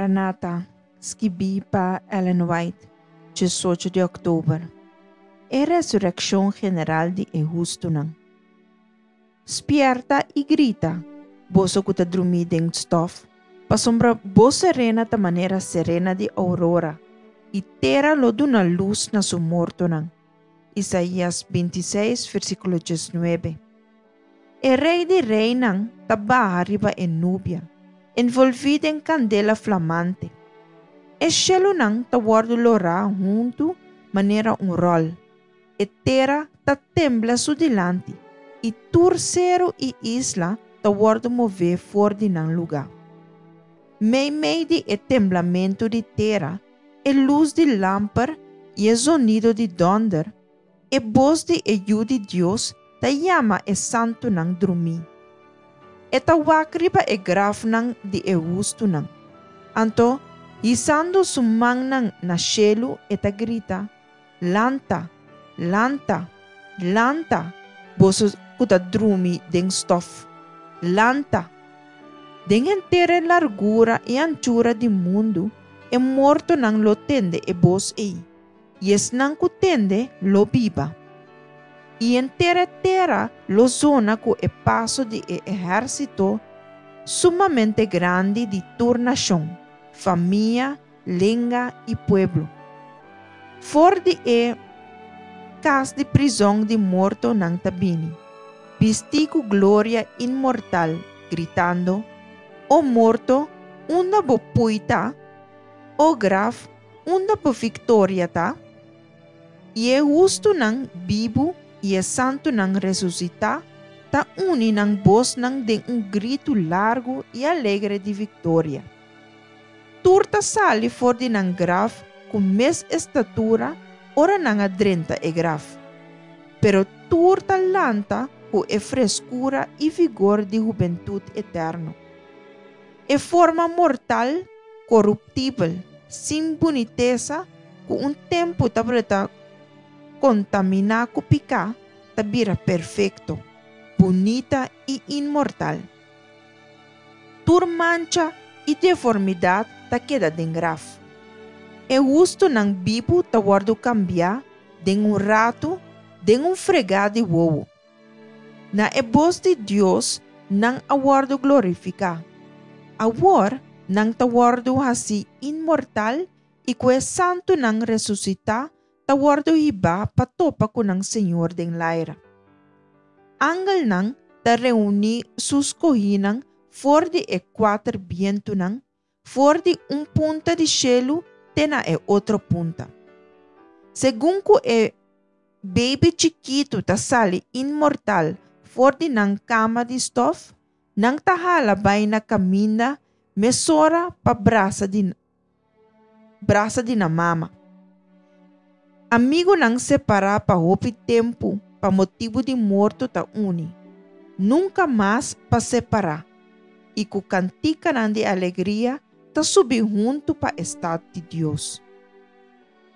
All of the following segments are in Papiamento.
Maranata, skibí pa Ellen White, 18 di òktober. E resurekshon general di e hustunan. Spièrta i grita, boso ku ta drumí den stòf, pasobra bo serena ta manera serena di ourora, i tera lo duna lus na su mortonan. Isaías 26, versíkulo 19. E Rei di reinan ta baha riba e nubia, envolví den kandela flamante. E shelunan ta wòrdu lorá huntu manera un ròl. E tera ta tembla su dilanti, i tur seru i isla ta wòrdu mové for di nan lugá. Meimei di e temblamentu di tera, e lus di lamper i e zonido di dònder, e bos di e Yu di Dios ta yama e santunan drumí. E ta wak riba e grafnan di e hustunan. Anto, hisando su mannan na shelu, e ta grita, Lanta, lanta, lanta, boso ku ta drumi den stòf. Lanta! Den henter e largura i anchura di mundu e mortonan lo tende e bos ei, i esnan ku tende lo biba. I henter e tera lo zona ku e paso di e ehérsito sumamente grandi di tur nashon, famia, lenga i pueblo. For di e kas di prizòn di morto nan ta bini, bistí ku gloria inmortal, gritando, O morto, unda bo pui ta? O graf, unda bo viktoria ta? I e hustunan bibu i e santunan resusitá ta uni nan bosnan den un gritu largu i alegre di viktoria. Tur ta sali for di nan graf ku mes estatura ora nan a drenta e graf. Pero tur ta lanta ku e freskura i vigor di hubentut eterno. E forma mortal, koruptibel, sin bunitesa, ku un tempu tabata kontaminá ku piká, ta bira perfekto, bunita i inmortal. Tur mancha i deformidat ta keda den graf. E hustunan bibu ta wòrdu kambiá den un ratu, den un fregá di wowo. Na e bos di Dios nan a wòrdu glorifiká. Awor nan ta wòrdu hasí inmortal i ku e santunan resusitá ta wòrdu hibá pa topa ku nan Señor den laira. Angelnan ta reuní su skohínan for di e kuater bientunan, for di un punta di shelu te na e otro punta. Segun ku e beibi chikitu ta sali inmortal for di nan kama di stòf, nan ta hala bai na kaminda mesora pa brasa di brasa di nan mama. Amigunan separá pa hopi tempu pa motibu di morto ta uni, nunka mas pa separá, i ku kantikanan di alegria ta subi huntu pa e stat di Dios.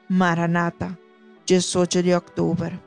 Maranata, 18 di òktober.